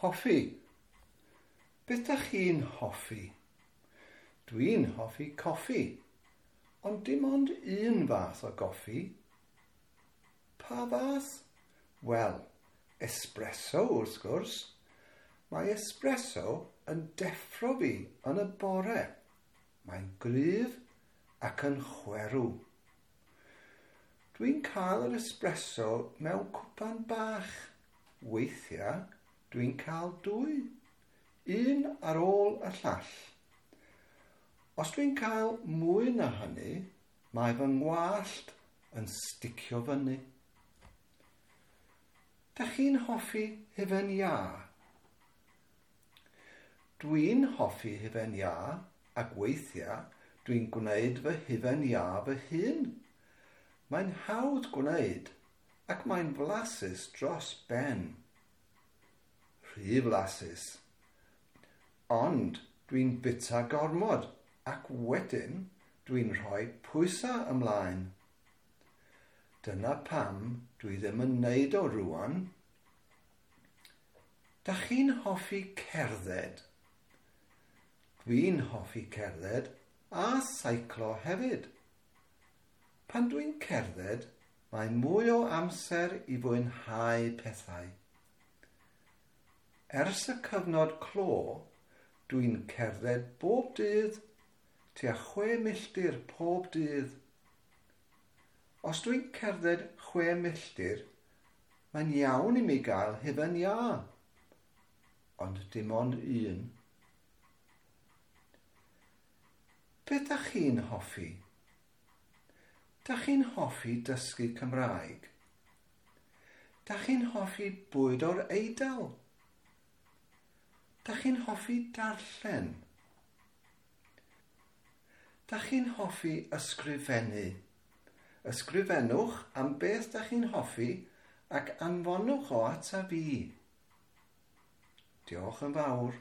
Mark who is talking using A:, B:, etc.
A: Hoffi. Beth dach chi'n hoffi? Dwi'n hoffi coffi, ond dim ond un fath o goffi. Pa fath? Wel, espresso wrth gwrs. Mae espresso yn deffro fi yn y bore. Mae'n gryf ac yn chwerw. Dwi'n cael yr espresso mewn cwpan bach. Weithiau, dwi'n cael dwy. Un ar ôl y llall. Os dwi'n cael mwy na hynny, mae fy ngwallt yn sticio fyny. Dach chi'n hoffi hufen iâ? Dwi'n hoffi hufen iâ ac weithiau dwi'n gwneud fy hufen iâ fy hun. Mae'n hawdd gwneud ac mae'n flasus dros ben. Rhy flasus. Ond dwi'n bwyta gormod ac wedyn dwi'n rhoi pwysau ymlaen. Dyna pam dwi ddim yn neud o rŵan. Dach chi'n hoffi cerdded? Dwi'n hoffi cerdded a seiclo hefyd. Pan dwi'n cerdded, mae mwy o amser i fwynhau pethau. Ers y cyfnod clo, dwi'n cerdded bob dydd, tua 6 milltir pob dydd. Os dwi'n cerdded 6 milltir, mae'n iawn i mi gael hufen iâ. Ond dim ond un. Beth dach chi'n hoffi? Dach chi'n hoffi dysgu Cymraeg? Dach chi'n hoffi bwyd o'r Eidal? Dach chi'n hoffi darllen? Dach chi'n hoffi ysgrifennu? Ysgrifennwch am beth dach chi'n hoffi ac anfonwch o ata fi. Diolch yn fawr.